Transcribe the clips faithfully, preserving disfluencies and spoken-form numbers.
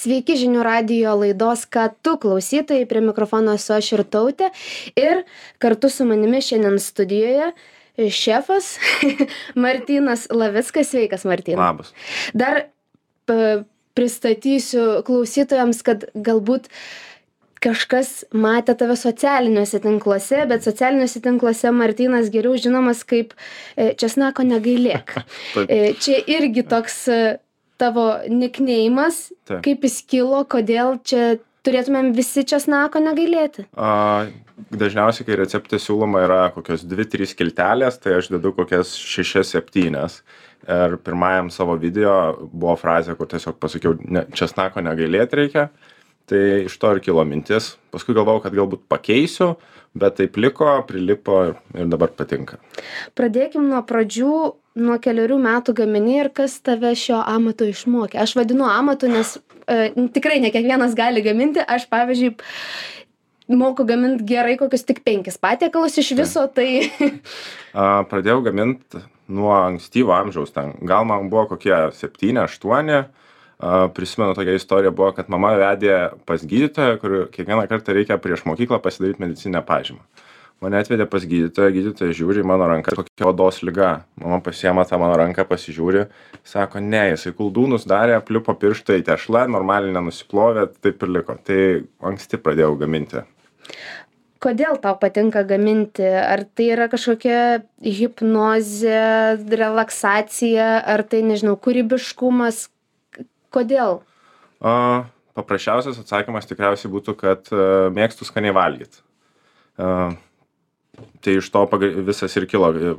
Sveiki žinių radijo laidos Ką tu klausytojai, prie mikrofono esu aš Irtautė ir kartu su manimi šiandien studijoje šefas Martynas Lavickas. Sveikas, Martynai. Labas. Dar p- pristatysiu klausytojams, kad galbūt kažkas matė tave socialiniuose tinkluose, bet socialiniuose tinkluose Martynas geriau žinomas kaip e, česnako negailėk. Taip. E, Čia irgi toks e, tavo nikneimas, Taip. kaip jis kilo, kodėl čia turėtumėm visi česnako negailėti. A, dažniausiai, kai recepte siūloma yra kokios dvi trys skiltelės, tai aš dedu kokias šešias septynias. Ir pirmajam savo video buvo frazė, kur tiesiog pasakiau, ne, česnako negailėti reikia. Tai iš to ir kilo mintis. Paskui galvojau, kad galbūt pakeisiu, bet taip liko, prilipo ir, ir dabar patinka. Pradėkim nuo pradžių, nuo keliarių metų gamini ir kas tave šio amato išmokė. Aš vadinu amatu, nes e, tikrai ne kiekvienas gali gaminti. Aš, pavyzdžiui, moku gaminti gerai kokius tik penkis patiekalus iš viso, tai... A, pradėjau gaminti nuo ankstyvo amžiaus. Ten. Gal man buvo kokie septyni, aštuoni. A, prisimenu, tokia istorija buvo, kad mama vedė pas gydytoją, kur kiekvieną kartą reikia prieš mokyklą pasidaryti medicininę pažymą. Mane atvedė pas gydytoją, gydytojas žiūri į mano ranką, kokia odos liga. Mama pasiema tą mano ranką, pasižiūri, sako, ne, jisai kuldūnus darė, pliupo pirštai tešla, normaliai nenusiplovė, taip ir liko. Tai anksti pradėjau gaminti. Kodėl tau patinka gaminti? Ar tai yra kažkokia hipnozė, relaksacija, ar tai, nežinau, kūrybiškumas? Kodėl? A, paprasčiausias atsakymas tikriausiai būtų, kad a, mėgstu skaniai valgyti. A, tai iš to paga- visas ir kilo a,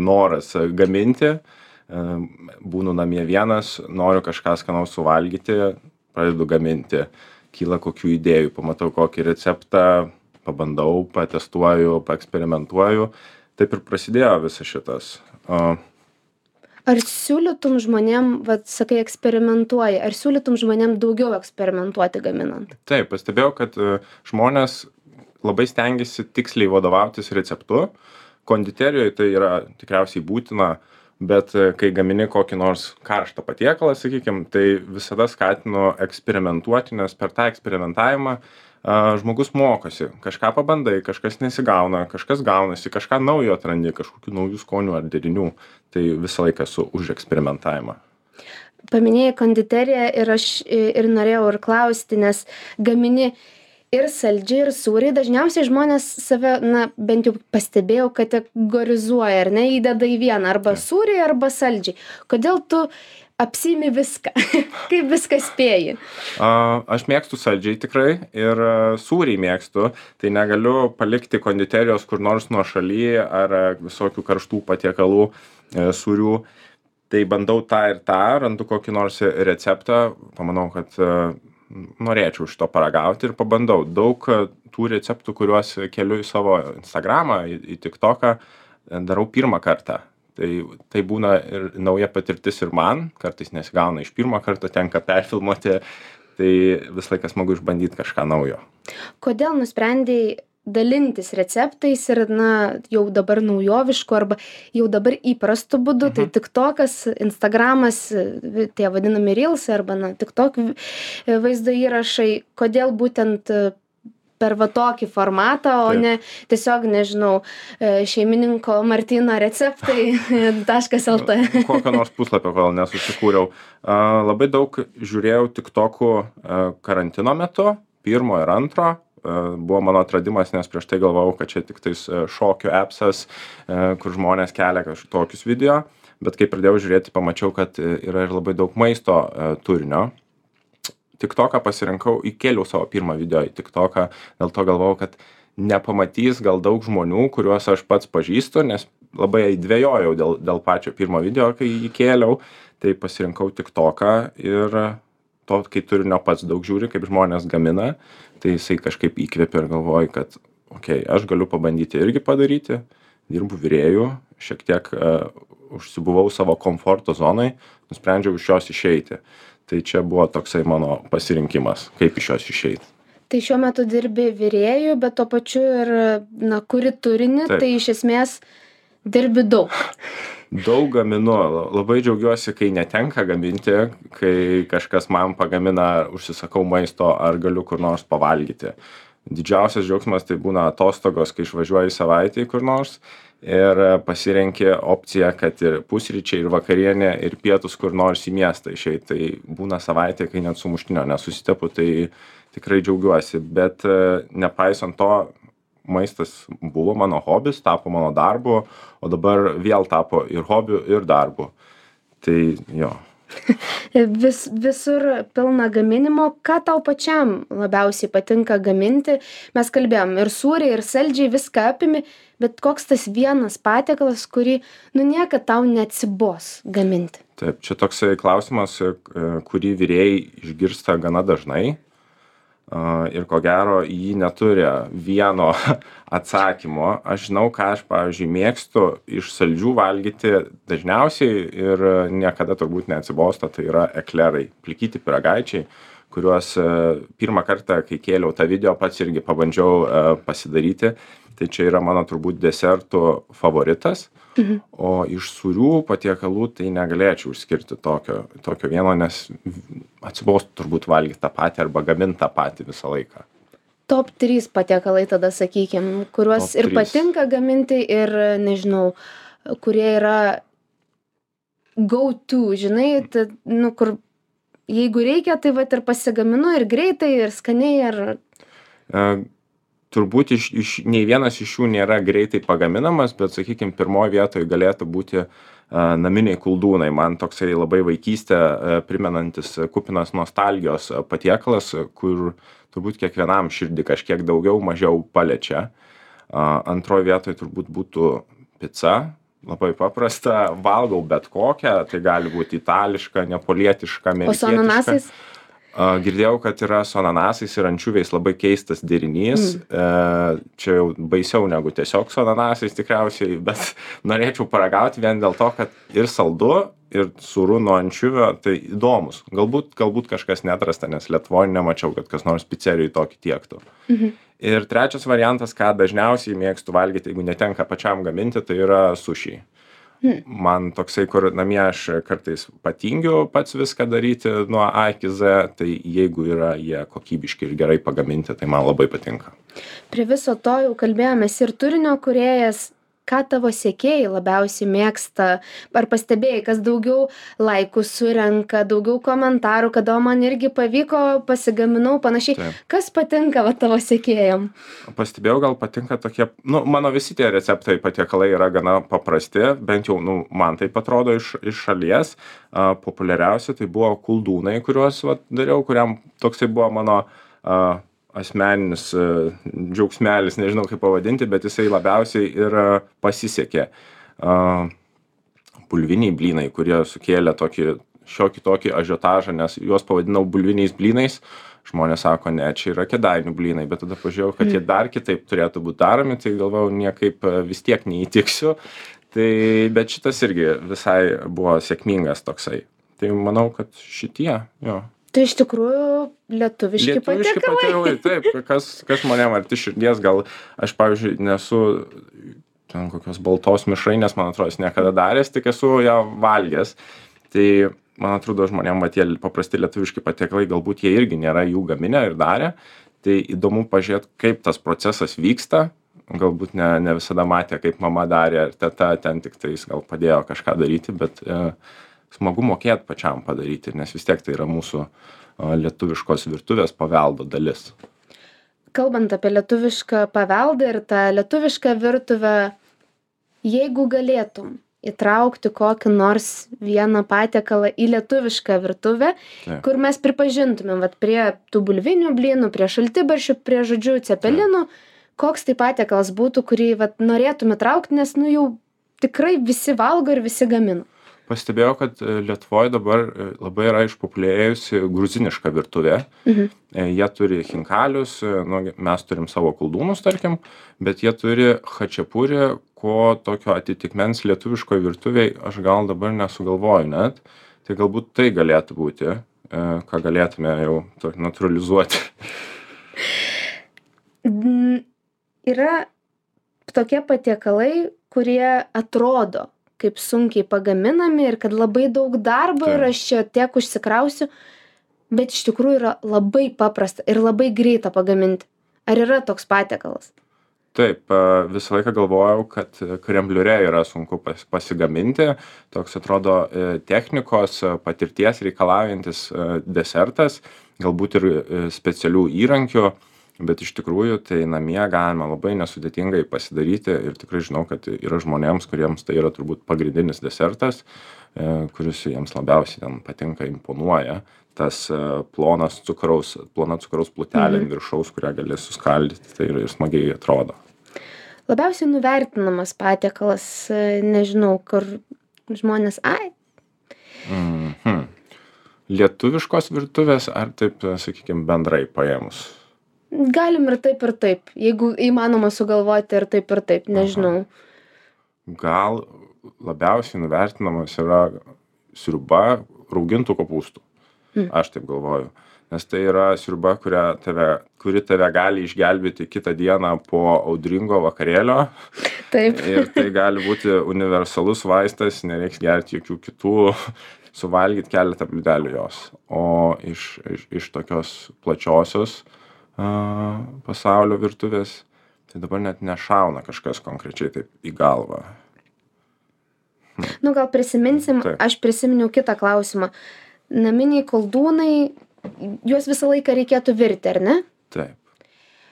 noras gaminti. A, būnu namie vienas, noriu kažką skanaus suvalgyti, pradedu gaminti. Kyla kokių idėjų, pamatau kokį receptą, pabandau, patestuoju, paeksperimentuoju. Taip ir prasidėjo visas šitas. A, Ar siūlytum žmonėm, vat, sakai, eksperimentuoji, ar siūlytum žmonėm daugiau eksperimentuoti gaminant? Taip, pastebėjau, kad e, žmonės labai stengiasi tiksliai vadovautis receptu. Konditerijoje tai yra tikriausiai būtina, bet e, kai gamini kokį nors karštą patiekalą, sakykime, tai visada skatinu eksperimentuoti, nes per tą eksperimentavimą a, žmogus mokosi. Kažką pabandai, kažkas nesigauna, kažkas gaunasi, kažką naujo atrandi, kažkokių naujų skonių ar derinių. Tai visą laiką esu už eksperimentavimą. Paminėjai konditeriją ir aš ir norėjau ir klausti, nes gamini ir saldžiai, ir sūriai. Dažniausiai žmonės save, na, bent jau pastebėjau, kategorizuoja, ar ne, įdeda į vieną, arba sūriai, arba saldžiai. Kodėl tu apsiimi viską? Kaip viską spėji? A, aš mėgstu saldžiai tikrai ir a, sūriai mėgstu. Tai negaliu palikti konditerijos kur nors nuošaly ar a, visokių karštų patiekalų e, sūrių. Tai bandau tą ir tą, randu kokį nors receptą, pamanau, kad e, norėčiau iš to paragauti ir pabandau. Daug e, tų receptų, kuriuos keliu į savo Instagramą, į, į TikToką, e, darau pirmą kartą. Tai, tai būna ir nauja patirtis ir man, kartais nesigauna iš pirmo karto, tenka perfilmuoti, tai vis laikas smagu išbandyti kažką naujo. Kodėl nusprendėjai dalintis receptais ir, na, jau dabar naujovišku arba jau dabar įprastu būdu, mhm. tai TikTokas, Instagramas, tie vadinami Reelsai arba, na, TikTok vaizdo įrašai, kodėl būtent per va tokį formatą, o Taip. ne tiesiog, nežinau, šeimininko Martyno receptai taškas el tė. Kokio nors puslapio kol nesusikūriau. A, labai daug žiūrėjau TikTokų a, karantino metu, pirmo ir antro. A, buvo mano atradimas, nes prieš tai galvojau, kad čia tik tais šokių appsas, a, kur žmonės kelia kažkokius video. Bet kai pradėjau žiūrėti, pamačiau, kad yra ir labai daug maisto a, turinio. TikToką pasirinkau, įkėliau savo pirmą video į TikToką, dėl to galvojau, kad nepamatys gal daug žmonių, kuriuos aš pats pažįstu, nes labai dvejojau dėl, dėl pačio pirmo video, kai įkėliau, tai pasirinkau TikToką ir to, kai turinio pats daug žiūri, kaip žmonės gamina, tai jisai kažkaip įkvėpė ir galvoju, kad okei, okay, aš galiu pabandyti irgi padaryti, dirbu virėjų, šiek tiek uh, užsibuvau savo komforto zonai, nusprendžiau iš jos išeiti. Tai čia buvo toksai mano pasirinkimas, kaip iš jos išeiti. Tai šiuo metu dirbi virėjų, bet tuo pačiu ir, na, kuri turinį, Taip. Tai iš esmės dirbi daug. Daug gaminu, labai džiaugiuosi, kai netenka gaminti, kai kažkas man pagamina, užsisakau maisto ar galiu kur nors pavalgyti. Didžiausias džiaugsmas tai būna atostogos, kai išvažiuoji savaitę kur nors ir pasirenki opciją, kad ir pusryčiai, ir vakarienė, ir pietus kur nors į miestą išeit. Tai būna savaitė, kai net sumuštinio nesusitepu, tai tikrai džiaugiuosi. Bet nepaisant to, maistas buvo mano hobis, tapo mano darbu, o dabar vėl tapo ir hobiu, ir darbu. Tai jo. Vis, visur pilna gaminimo. Ką tau pačiam labiausiai patinka gaminti? Mes kalbėjom ir sūriai, ir saldžiai, viską apimi, bet koks tas vienas patiekalas, kurį, nu, niekad tau neatsibos gaminti? Taip, čia toksai klausimas, kurį virėjai išgirsta gana dažnai. Ir ko gero jį neturi vieno atsakymo. Aš žinau, ką aš, pavyzdžiui, mėgstu iš saldžių valgyti dažniausiai ir niekada turbūt neatsibosta, tai yra eklerai, plikyti pyragaičiai, kuriuos pirmą kartą, kai kėliau tą video, pats irgi pabandžiau pasidaryti. Tai čia yra mano turbūt desertų favoritas. Mhm. O iš sūrių patiekalų tai negalėčiau išskirti tokio, tokio vieno, nes atsibostų turbūt valgyti tą patį arba gaminti tą patį visą laiką. Top trys patiekalai tada, sakykim, kuriuos Top ir trys. Patinka gaminti ir, nežinau, kurie yra go to, žinai, tai, nu, kur jeigu reikia, tai vat ir pasigaminu ir greitai, ir skaniai, ir... Uh, Turbūt iš, iš, nei vienas iš jų nėra greitai pagaminamas, bet, sakykime, pirmoje vietoje galėtų būti uh, naminiai koldūnai. Man toksai labai vaikystę uh, primenantis kupinas nostalgijos patiekalas, kur turbūt kiekvienam širdį kažkiek daugiau, mažiau paliečia. Uh, antroje vietoje turbūt būtų pica. Labai paprasta, valgau bet kokią, tai gali būti itališka, neapolietiška, amerikietiška. O su ananasais? Girdėjau, kad yra su ananasais ir ančiuviais labai keistas derinys. Mm. Čia jau baisiau negu tiesiog su ananasais tikriausiai, bet norėčiau paragauti vien dėl to, kad ir saldu, ir sūru nuo ančiuvio, tai įdomus. Galbūt, galbūt kažkas neatrasta, nes Lietuvoje nemačiau, kad kas nors picerijoje tokį tiektų. Mhm. Ir trečias variantas, ką dažniausiai mėgstu valgyti, jeigu netenka pačiam gaminti, tai yra sušiai. Hmm. Man toksai, kur namie aš kartais patingiu pats viską daryti nuo A iki Z, tai jeigu yra jie kokybiški ir gerai pagaminti, tai man labai patinka. Prie viso to jau kalbėjomės ir turinio kūrėjas. Ką tavo sekėjai labiausiai mėgsta? Ar pastebėjai, kas daugiau laikų surenka, daugiau komentarų, kada man irgi pavyko, pasigaminau, panašiai. Taip. Kas patinka va, tavo sekėjam? Pastebėjau, gal patinka tokie, nu, mano visi tie receptai patiekalai yra gana paprasti, bent jau, nu, man taip atrodo iš, iš šalies. Uh, populiariausia tai buvo koldūnai, kuriuos va, dariau, kuriam toksai buvo mano... Uh, asmeninis uh, džiaugsmelis, nežinau kaip pavadinti, bet jisai labiausiai ir uh, pasisekė. Uh, bulviniai blynai, kurie sukėlė tokį šiokį tokį ažiotažą, nes juos pavadinau bulviniais blynais. Žmonės sako, ne, čia yra Kėdainių blynai, bet tada pažiūrėjau, kad mm. jie dar kitaip turėtų būti daromi, tai galvojau, niekaip uh, vis tiek neįtiksiu. Tai, bet šitas irgi visai buvo sėkmingas toksai. Tai manau, kad šitie, jo. Tai iš tikrųjų lietuviški, lietuviški patiekalai. Taip, kas, kas manėm arti širdies, gal aš, pavyzdžiui, nesu ten kokios baltos mišrainės, man atrodo, niekada daręs, tik esu ją valgęs. Tai, man atrodo, žmonėm, va, tie paprasti lietuviški patiekalai, galbūt jie irgi nėra jų gaminę ir darę. Tai įdomu pažiūrėti, kaip tas procesas vyksta. Galbūt ne, ne visada matė, kaip mama darė, ar teta ten tik tais gal padėjo kažką daryti, bet... E, smagu mokėti pačiam padaryti, nes vis tiek tai yra mūsų lietuviškos virtuvės paveldo dalis. Kalbant apie lietuvišką paveldą ir tą lietuvišką virtuvę, jeigu galėtum įtraukti kokį nors vieną patiekalą į lietuvišką virtuvę, Taip. Kur mes pripažintumėm, vat, prie tų bulvinių blynų, prie šaltibarščių, prie žodžių cepelinų, Taip. Koks tai patiekalas būtų, kurį vat, norėtum įtraukti, nes nu, jau tikrai visi valgo ir visi gamina. Pastebėjau, kad Lietuvoje dabar labai yra išpopuliarėjusi gruziniška virtuvė. Mhm. Jie turi chinkalius, nu, mes turim savo koldūnus, tarkim, bet jie turi chačiapurį, ko tokio atitikmens lietuviškoje virtuvėje aš gal dabar nesugalvoju net. Tai galbūt tai galėtų būti, ką galėtume jau naturalizuoti. Yra tokie patiekalai, kurie atrodo kaip sunkiai pagaminami ir kad labai daug darbo Taip. ir aš čia tiek užsikrausiu, bet iš tikrųjų yra labai paprasta ir labai greita pagaminti. Ar yra toks patiekalas? Taip, a, visą laiką galvojau, kad krembliure yra sunku pas, pasigaminti. Toks atrodo e, technikos, e, patirties reikalaujantis e, desertas, galbūt ir e, specialių įrankių, bet iš tikrųjų tai namie galima labai nesudėtingai pasidaryti ir tikrai žinau, kad yra žmonėms, kuriems tai yra turbūt pagrindinis desertas, e, kuris jiems labiausiai ten patinka, imponuoja. Tas e, plonas cukraus, plona cukraus plutelė ant viršaus, kurią gali suskaldyti, tai ir, ir smagiai atrodo. Labiausiai nuvertinamas patiekalas, e, nežinau, kur žmonės, ai, Mhm. Lietuviškos virtuvės ar taip, sakykime, bendrai paėmus? galim ir taip, ir taip. Jeigu įmanoma sugalvoti ir taip, ir taip, nežinau. Gal labiausiai nuvertinamas yra sriuba raugintų kopūstų. Aš taip galvoju. Nes tai yra sriuba, kurią tave, kuri tave gali išgelbėti kitą dieną po audringo vakarėlio. Taip. Ir tai gali būti universalus vaistas, nereiks gerti jokių kitų, suvalgyti keletą bliūdelių jos. O iš, iš, iš tokios plačiosios a, pasaulio virtuvės, tai dabar net nešauna kažkas konkrečiai taip į galvą. Nu, gal prisiminsim, Taip. aš prisiminiau kitą klausimą. Naminiai koldūnai, juos visą laiką reikėtų virti, ar ne? Taip.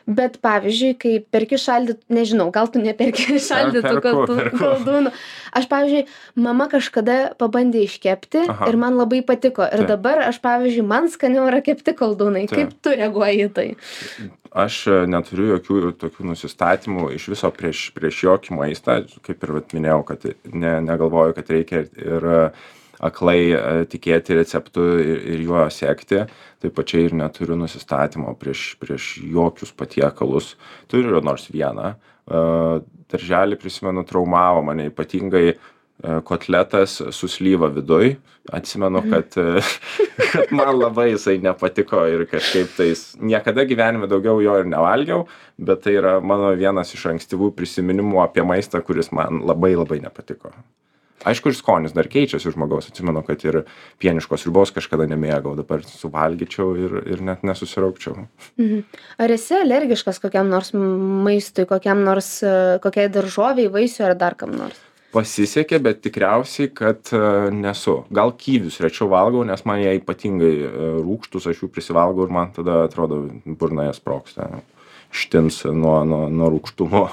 Bet pavyzdžiui, kai perki šaldyt, nežinau, gal tu neperki šaldytų perku, koldū- perku. koldūnų. Aš, pavyzdžiui, mama kažkada pabandė iškepti Aha. ir man labai patiko. Ir Taip. dabar aš, pavyzdžiui, man skaniau yra kepti koldūnai. Taip. Kaip tu reaguoji į tai? Aš e, neturiu jokių tokių nusistatymų iš viso prieš, prieš jokį maistą, kaip ir vat, minėjau, kad ne, negalvoju, kad reikia ir e, aklai e, tikėti receptu ir, ir juo sekti. Taip pačiai ir neturiu nusistatymo prieš, prieš jokius patiekalus. Turiu nors vieną. E, darželį, prisimenu, traumavo mane ypatingai e, kotletas su slyva viduj. Atsimenu, kad, e, kad man labai jisai nepatiko ir kažkaip tais niekada gyvenime daugiau jo ir nevalgiau, bet tai yra mano vienas iš ankstyvų prisiminimų apie maistą, kuris man labai labai nepatiko. Aišku, ir skonis dar keičiasi žmogaus. Atsimenu, kad ir pieniškos sriubos kažkada nemėgau, dabar suvalgyčiau ir, ir net nesusiraukčiau. Mhm. Ar esi alergiškas kokiam nors maistui, kokiam nors, e, kokiai daržoviai, vaisiui ar dar kam nors? Pasisekė, bet tikriausiai, kad e, nesu. Gal kyvius rečiau valgau, nes man jie ypatingai e, rūgštus, aš jų prisivalgau ir man tada atrodo burnoje sprogsta. Štins nuo, nuo, nuo rūgštumo.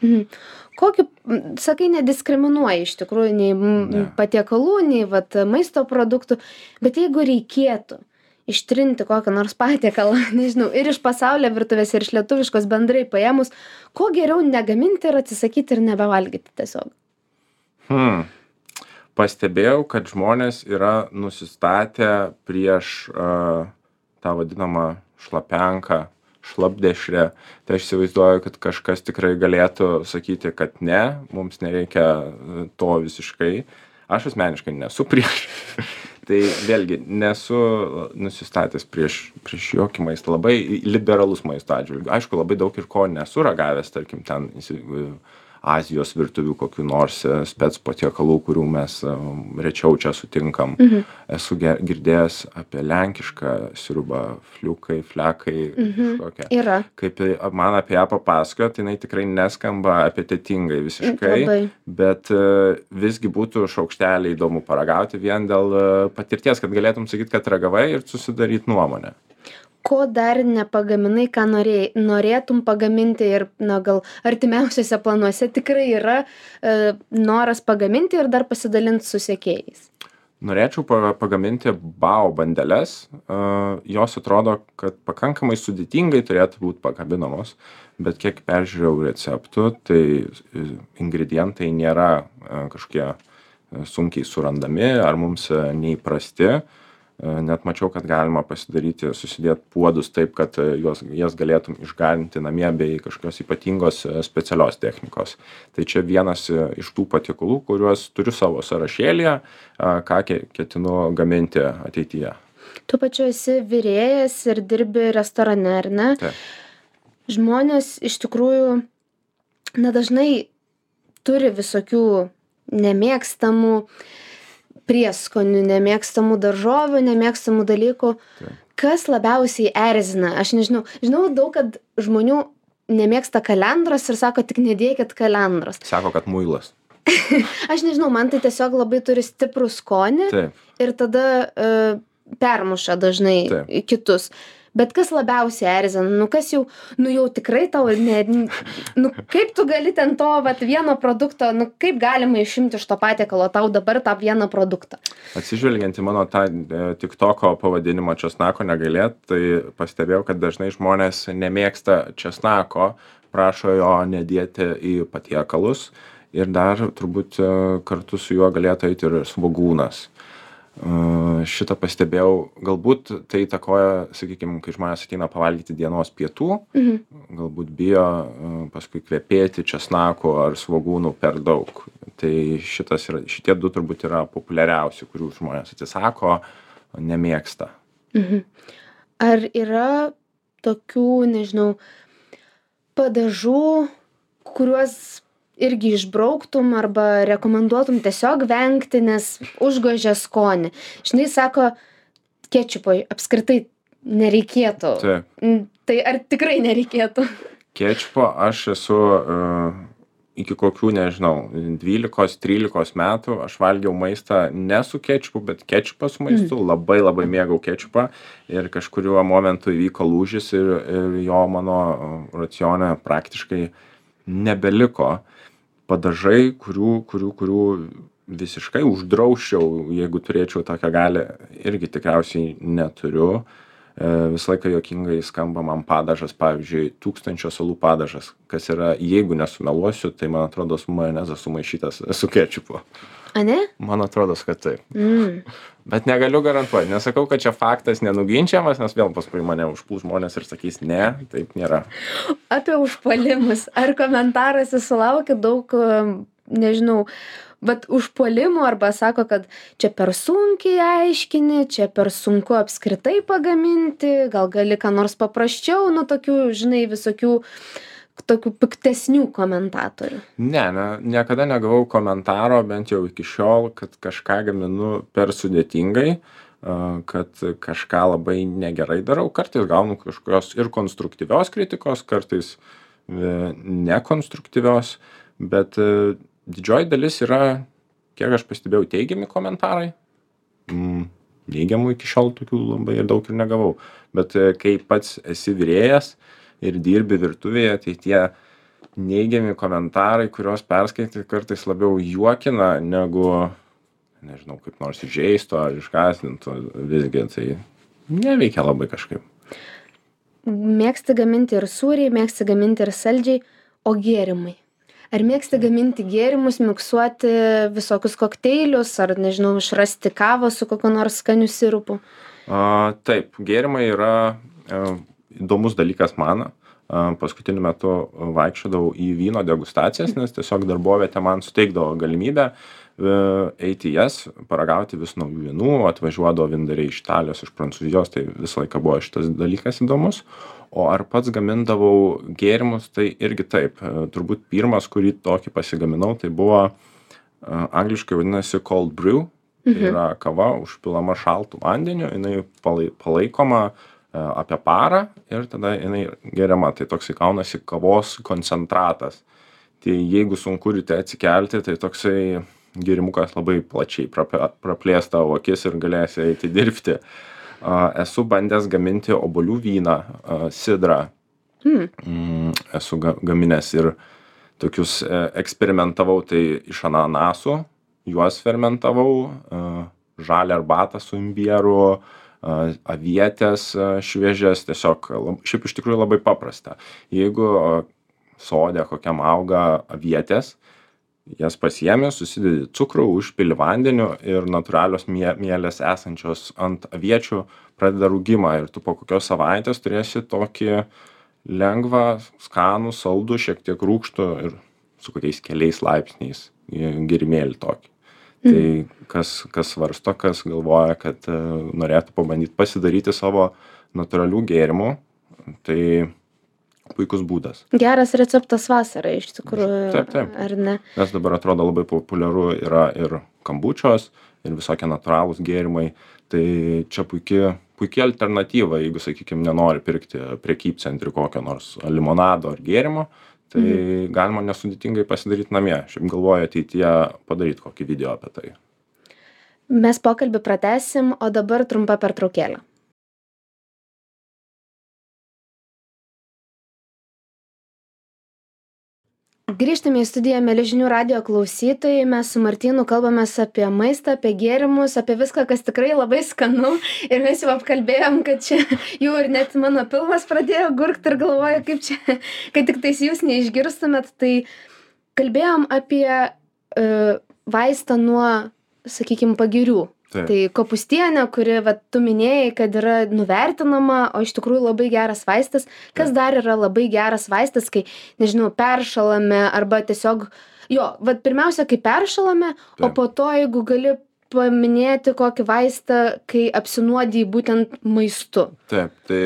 Mhm. Kokį, m, sakai, nediskriminuoji iš tikrųjų nei m, Ne. patiekalų, nei vat, maisto produktų, bet jeigu reikėtų ištrinti kokią nors patiekalą, nežinau, ir iš pasaulio virtuvės, ir iš lietuviškos bendrai paėmus, ko geriau negaminti ir atsisakyti ir nebevalgyti tiesiog? Hmm. Pastebėjau, kad žmonės yra nusistatę prieš uh, tą vadinamą šlapenką, šlapdešrę. Tai aš įsivaizduoju, kad kažkas tikrai galėtų sakyti, kad ne, mums nereikia e, to visiškai. Aš asmeniškai nesu prieš. Tai vėlgi nesu nusistatęs prieš, prieš jokį maistą. Labai liberalus maisto atžvilgiu. Aišku, labai daug ir ko nesu ragavęs, tarkim, ten įsi- Azijos virtuvių kokių nors e, spec patiekalų, kurių mes e, rečiau čia sutinkam. Mhm. Esu ge- girdėjęs apie lenkišką sriubą, fliukai, flekai, kažkokią. Yra. Kaip i- man apie ją papasakojo, tai jinai tikrai neskamba apetitingai visiškai, Labai. bet e, visgi būtų šaukštelį įdomu paragauti vien dėl e, patirties, kad galėtum sakyti, kad ragavai ir susidaryti nuomonę. Ko dar nepagaminai, ką norėjai, norėtum pagaminti ir, na, gal artimiausiuose planuose tikrai yra e, noras pagaminti ir dar pasidalinti su sekėjais? Norėčiau pa- pagaminti bao bandeles. E, jos atrodo, kad pakankamai sudėtingai turėtų būti pakabinamos, bet kiek peržiūrėjau receptų, tai e, ingredientai nėra e, kažkokie e, sunkiai surandami ar mums e, neįprasti. E, Net mačiau, kad galima pasidaryti, susidėti puodus taip, kad e, juos, jas galėtum išgarinti namie bei kažkokios ypatingos e, specialios technikos. Tai čia vienas e, iš tų patiekalų, kuriuos turiu savo sąrašėlyje, a, ką ke- ketinu gaminti ateityje. Tu pačiu esi virėjas ir dirbi restorane, ar ne? Taip. Žmonės iš tikrųjų, na, dažnai turi visokių nemėgstamų prieskonių, nemėgstamų daržovių, nemėgstamų dalykų. Taip. Kas labiausiai erzina? Aš nežinau. Žinau daug, kad žmonių nemėgsta kalendros ir sako, tik nedėkit kalendros. Sako, kad muilas. Aš nežinau, man tai tiesiog labai turi stiprų skonį. Taip. Ir tada uh, permuša dažnai Taip. kitus. Bet kas labiausiai erzina? Nu kas jau, nu jau tikrai tau, ne, nu kaip tu gali ten to vat, vieno produkto, nu kaip galima išimti iš to patiekalo tau dabar tą vieną produktą? Atsižvelgiant į mano tą e, TikToko pavadinimą česnako negailėt, tai pastebėjau, kad dažnai žmonės nemėgsta česnako, prašo jo nedėti į patiekalus ir dar turbūt e, kartu su juo galėtų eiti ir svogūnas. Uh, šitą pastebėjau, galbūt tai įtakoja, sakykime, kai žmonės ateina pavalgyti dienos pietų, Mhm. galbūt bijo uh, paskui kvepėti česnako ar svogūnų per daug. Tai šitas yra, šitie du turbūt yra populiariausi, kurių žmonės atsisako, nemėgsta. Mhm. Ar yra tokių, nežinau, padažų, kuriuos irgi išbrauktum arba rekomenduotum tiesiog vengti, nes užgožia skonį? Žinai, sako, kečupo apskritai nereikėtų. Taip. Mm, Tai ar tikrai nereikėtų? Kečupo aš esu uh, iki kokių, nežinau, dvylikos trylikos metų aš valgiau maistą ne su kečupu, bet kečupą su maistu. Mm. Labai labai mėgau kečupą ir kažkuriuo momentu įvyko lūžis ir, ir jo mano racione praktiškai nebeliko. Padažai, kurių, kurių, kurių visiškai uždrausčiau, jeigu turėčiau tokią galią, irgi tikriausiai neturiu. E, visą laiką juokingai skamba man padažas, pavyzdžiui, tūkstančio salų padažas, kas yra, jeigu nesumeluosiu, tai man atrodo su majonezas sumaišytas su kečupu. A ne? Man atrodo, kad taip. Mm. Bet negaliu garantuoti, nesakau, kad čia faktas nenuginčiamas, nes vėl paskui mane užpuls žmonės ir sakys, ne, taip nėra. Apie užpuolimus. Ar komentaruose sulaukia daug, nežinau, bet užpuolimų arba sako, kad čia per sunkiai aiškini, čia per sunku apskritai pagaminti, gal gali ką nors paprasčiau, nu tokių, žinai, visokių tokių piktesnių komentatorių? Ne, ne, niekada negavau komentaro, bent jau iki šiol, kad kažką gaminu per sudėtingai, kad kažką labai negerai darau. Kartais gaunu kažkokios ir konstruktyvios kritikos, kartais nekonstruktyvios, bet didžioji dalis yra, kiek aš pastebėjau, teigiami komentarai. Neigiamų iki šiol tokių labai ir daug ir negavau. Bet kai pats esi virėjas ir dirbi virtuvėje, tai tie neigiami komentarai, kuriuos perskaityti, kartais labiau juokina, negu, nežinau, kaip nors įžeisto ar išgąsdinto, visgi tai neveikia labai kažkaip. Mėgsti gaminti ir sūriai, mėgsti gaminti ir saldžiai, o gėrimai? Ar mėgsti gaminti gėrimus, miksuoti visokius kokteilius, ar, nežinau, išrasti kavą su kokiu nors skaniu sirupu? A, taip, gėrimai yra e, įdomus dalykas man. Paskutiniu metu vaikščiodavau į vyno degustacijas, nes tiesiog darbovietė man suteikdavo galimybę eiti į jas, paragauti vis naujų vynų, atvažiuodavo vyndariai iš Italijos, iš Prancūzijos, tai visą laiką buvo šitas dalykas įdomus. O ar pats gamindavau gėrimus, tai irgi taip. Turbūt pirmas, kurį tokį pasigaminau, tai buvo angliškai vadinasi cold brew. Tai yra kava užpilama šaltu vandeniu, jinai palaikoma apie parą ir tada jinai geriama. Tai toksai kaunasi kavos koncentratas. Tai jeigu sunku ryte atsikelti, tai toksai gėrimukas labai plačiai praplės tavo akis ir galėsi eiti dirbti. Esu bandęs gaminti obuolių vyną, sidrą. Mm. Esu gaminęs ir tokius eksperimentavau, tai iš ananasų, juos fermentavau, žalią arbatą su imbieru, avietės šviežias, tiesiog, šiaip iš tikrųjų labai paprasta. Jeigu sode kokiam auga avietės, jas pasiemi, susidedi cukrų, užpili vandeniu ir natūralios mielės esančios ant aviečių pradeda rūgimą ir tu po kokios savaitės turėsi tokį lengvą, skanų, saldų, šiek tiek rūgštų ir su kokiais keliais laipsniais gėrimėlį tokį. Mm. Tai kas, kas svarsto, kas galvoja, kad norėtų pabandyti pasidaryti savo natūralių gėrimų, tai puikus būdas. Geras receptas vasarai, iš tikrųjų, Taip, taip. ar ne? Nes dabar atrodo labai populiaru yra ir kombučios, ir visokie natūralūs gėrimai. Tai čia puikia, puikia alternatyva, jeigu, sakykime, nenori pirkti prekybcentrį kokio nors limonado ar gėrimo, tai mhm. galima nesudėtingai pasidaryti namie. Šiaip galvoju ateityje padaryti kokį video apie tai. Mes pokalbį pratęsim, o dabar trumpa pertraukėlė. Grįžtame į studiją, mieli žinių radijo klausytojai. Mes su Martynu kalbamės apie maistą, apie gėrimus, apie viską, kas tikrai labai skanu. Ir mes jau apkalbėjom, kad čia jau ir net mano pilvas pradėjo gurkti ir galvoju, kaip čia, kad tik tais jūs neišgirstumėt. Tai kalbėjom apie uh, vaistą nuo, sakykime, pagirių. Taip. Tai kopustienė, kuri, va, tu minėjai, kad yra nuvertinama, o iš tikrųjų labai geras vaistas. Kas Taip. Dar yra labai geras vaistas, kai, nežinau, peršalame arba tiesiog, jo, va, pirmiausia, kai peršalame, Taip. O po to, jeigu gali paminėti kokį vaistą, kai apsinuodiji būtent maistu. Taip, tai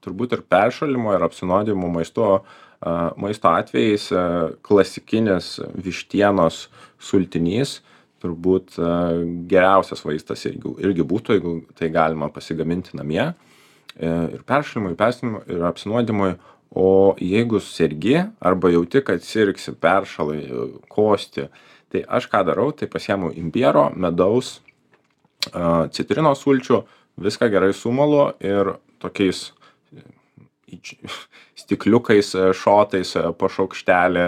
turbūt ir peršalimo, ir apsinuodijimo maistu, maisto atvejais klasikinis vištienos sultinys turbūt geriausias vaistas irgi, irgi būtų, jeigu tai galima pasigaminti namie ir peršalimui, peršalimui ir apsinuodimui. O jeigu sergi arba jauti, kad sirgsi, peršalai, kosti, tai aš ką darau, tai pasiemu imbiero, medaus, citrinos sulčių, viską gerai sumalu ir tokiais stikliukais, šotais po šaukštelį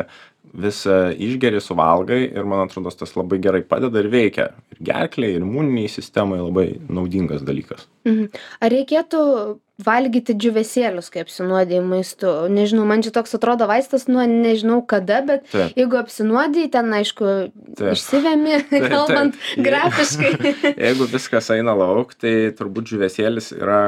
visą išgeri, suvalgai ir man atrodo, tas labai gerai padeda ir veikia. Ir gerklei, ir imuniniai sistemai labai naudingas dalykas. Mhm. Ar reikėtų valgyti džiūvėsėlius, kai apsinuodėjai maistu? Nežinau, man čia toks atrodo vaistas nuo nežinau kada, bet taip. Jeigu apsinuodėjai, ten, aišku, taip. Išsivemi, taip, kalbant taip. Grafiškai. Jeigu viskas eina lauk, tai turbūt džiūvėsėlis yra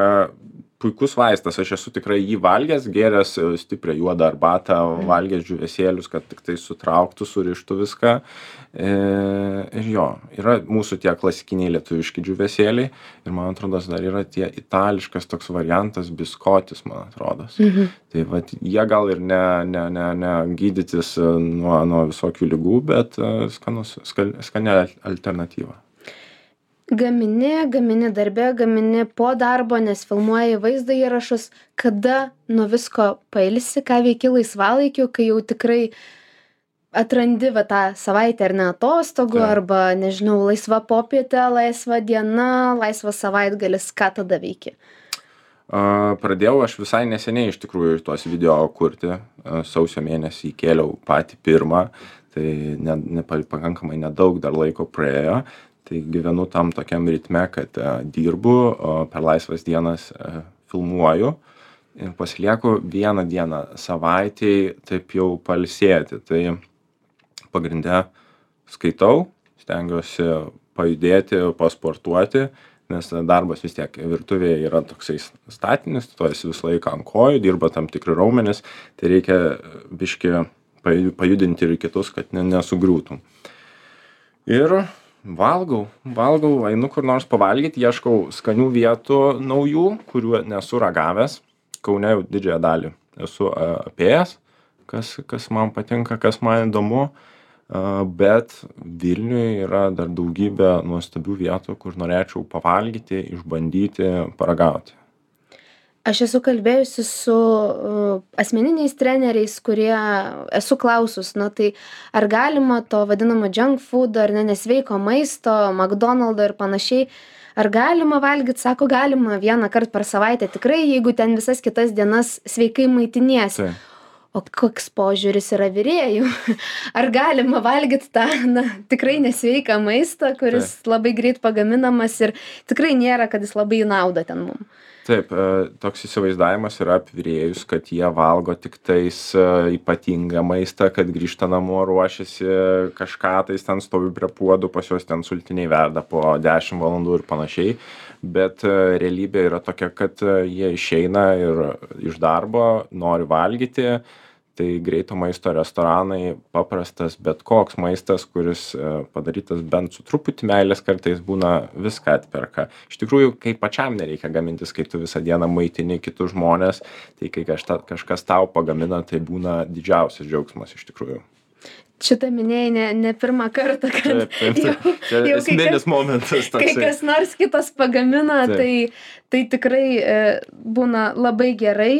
puikus vaistas. Aš esu tikrai jį valgęs, gėręs stiprią juodą arbatą, valgęs džiūvėsėlius, kad tik tai sutrauktų, surištų viską. E, ir jo, yra mūsų tie klasikiniai lietuviški džiūvėsėliai ir man atrodo, dar yra tie itališkas toks variantas biskotis, man atrodo. Mhm. Tai vat, jie gal ir ne, ne, ne, ne gydytis nuo, nuo visokių ligų, bet skanus, skal, skani alternatyva. Gamini, gamini darbe, gamini po darbo, nes filmuoji vaizdo įrašus. Kada nuo visko pailsi, ką veiki laisvalaikiu, kai jau tikrai atrandi va, tą savaitę ar ne atostogų, tai. Arba, nežinau, laisva popietė, laisva diena, laisvas savaitgalis, ką tada veiki? Uh, pradėjau aš visai neseniai iš tikrųjų tuos video kurti. Uh, sausio mėnesį įkėliau patį pirmą, tai ne, ne, pakankamai nedaug dar laiko praėjo. Tai gyvenu tam tokiam ritme, kad uh, dirbu, o per laisvas dienas uh, filmuoju ir pasilieku vieną dieną savaitėj taip jau pailsėti. Tai pagrinde skaitau, stengiuosi pajudėti, pasportuoti, nes darbas vis tiek virtuvėje yra toksai statinis, tu esi visą laiką ant kojų, dirba tam tikri raumenys, tai reikia biškį pajudinti ir kitus, kad ne, nesugriūtum. Ir valgau, valgau, einu kur nors pavalgyti, ieškau skanių vietų naujų, kurių nesu ragavęs. Kaune jau didžiąją dalį esu apėjęs, kas, kas man patinka, kas man įdomu, bet Vilniuje yra dar daugybė nuostabių vietų, kur norėčiau pavalgyti, išbandyti, paragauti. Aš esu kalbėjusi su uh, asmeniniais treneriais, kurie esu klausus, na tai ar galima to vadinamo junk food, ar ne nesveiko maisto, McDonald's ir panašiai, ar galima valgyti, sako, galima vieną kartą per savaitę, tikrai, jeigu ten visas kitas dienas sveikai maitiniesi. Tai. O koks požiūris yra virėjų? Ar galima valgyti tą, na, tikrai nesveiką maistą, kuris tai. Labai greit pagaminamas ir tikrai nėra, kad jis labai nauda ten mums? Taip, toks įsivaizdavimas yra apie virėjus, kad jie valgo tik tais ypatingą maistą, kad grįžta namo, ruošiasi kažką, tais ten stovi prie puodų, pas juos ten sultiniai verda po dešimt valandų ir panašiai. Bet realybė yra tokia, kad jie išeina ir iš darbo, nori valgyti, tai greito maisto restoranai, paprastas bet koks maistas, kuris padarytas bent su truputį meilės, kartais būna viską atperka. Iš tikrųjų, kai pačiam nereikia gamintis, kai tu visą dieną maitini kitus žmonės, tai kai kažta, kažkas tau pagamina, tai būna didžiausias džiaugsmas iš tikrųjų. Šitą minėjai ne, ne pirmą kartą, kad taip, taip, taip. jau, Čia jau esminis momentas toksai. Kai kas nors kitas pagamina, tai, tai tikrai e, būna labai gerai.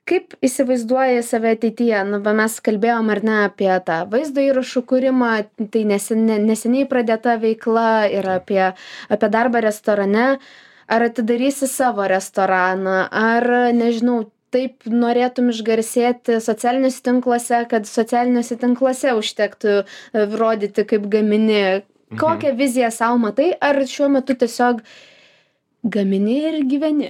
Kaip įsivaizduoji save ateityje? Nu, mes kalbėjom ar ne apie tą vaizdo įrašų kūrimą, tai nesen, neseniai pradėta veikla ir apie, apie darbą restorane. Ar atidarysi savo restoraną, ar nežinau, taip norėtum išgarsėti socialiniuose tinkluose, kad socialiniuose tinkluose užtektų rodyti, kaip gamini. Kokią mhm. viziją savo matai, ar šiuo metu tiesiog gamini ir gyveni?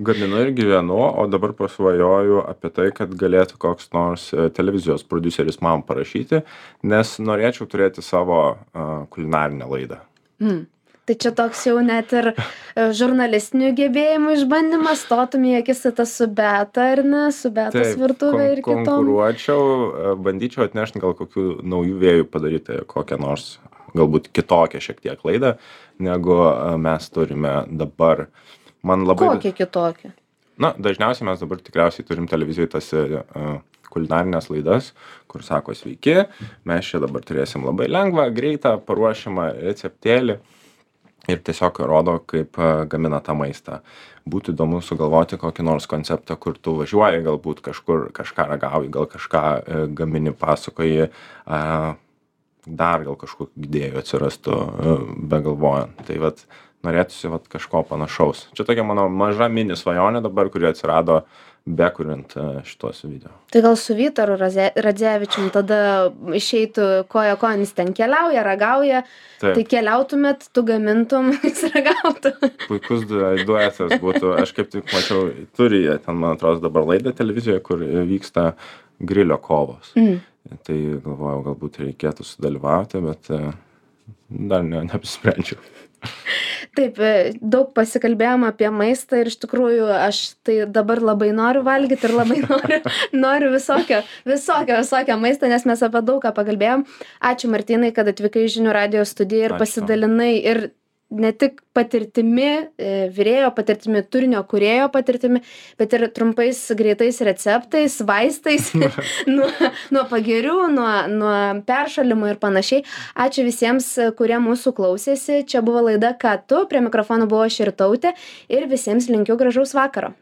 Gaminu ir gyvenu, o dabar pasvajoju apie tai, kad galėtų koks nors televizijos prodiuseris man parašyti, nes norėčiau turėti savo uh, kulinarinę laidą. Mm. Tai čia toks jau net ir žurnalistinių gebėjimų išbandymas, stotum į akistatą su Beata, ar ne, su Beatos virtuvė ir kitom. Konkuruočiau, bandyčiau atnešti gal kokių naujų vėjų padaryti kokią nors, galbūt kitokią šiek tiek laidą, negu mes turime dabar. Man labai... Kokią kitokią? Na, dažniausiai mes dabar tikriausiai turim televizijoje tas uh, kulinarinės laidas, kur sako sveiki, mes čia dabar turėsim labai lengvą, greitą, paruošiamą receptėlį. Ir tiesiog rodo, kaip gamina tą maistą. Būtų įdomu sugalvoti kokį nors konceptą, kur tu važiuoji, galbūt kažkur kažką ragauji, gal kažką e, gamini, pasakoji, e, dar gal kažkokių idėjų atsirastų e, begalvojant. Tai vat norėtųsi vat kažko panašaus. Čia tokia mano maža mini svajonė dabar, kuri atsirado bekuriant šitos video. Tai gal su Vytaru Radzevičium tada išeitų koja konis ten keliauja, ragauja, taip. Tai keliautumėt, tu gamintum, jis ragautų. Puikus duetas būtų, aš kaip tik mačiau, turi jie ten, man atrodo, dabar laidą televizijoje, kur vyksta grilio kovos. Mm. Tai galvojau, galbūt reikėtų sudalyvauti, bet dar ne, neapsprendžiau. Taip, daug pasikalbėjom apie maistą ir iš tikrųjų aš tai dabar labai noriu valgyti ir labai noriu, noriu visokio, visokio, visokio maisto, nes mes apie daug ką pakalbėjom. Ačiū Martynai, kad atvykai į Žinių radijo studiją ir Ačiū. Pasidalinai ir ne tik patirtimi, virėjo patirtimi, turinio kūrėjo patirtimi, bet ir trumpais, greitais receptais, vaistais, nuo, nuo pagirių, nuo, nuo peršalimo ir panašiai. Ačiū visiems, kurie mūsų klausėsi. Čia buvo laida Ką tu, prie mikrofono buvo Širtautė ir visiems linkiu gražaus vakaro.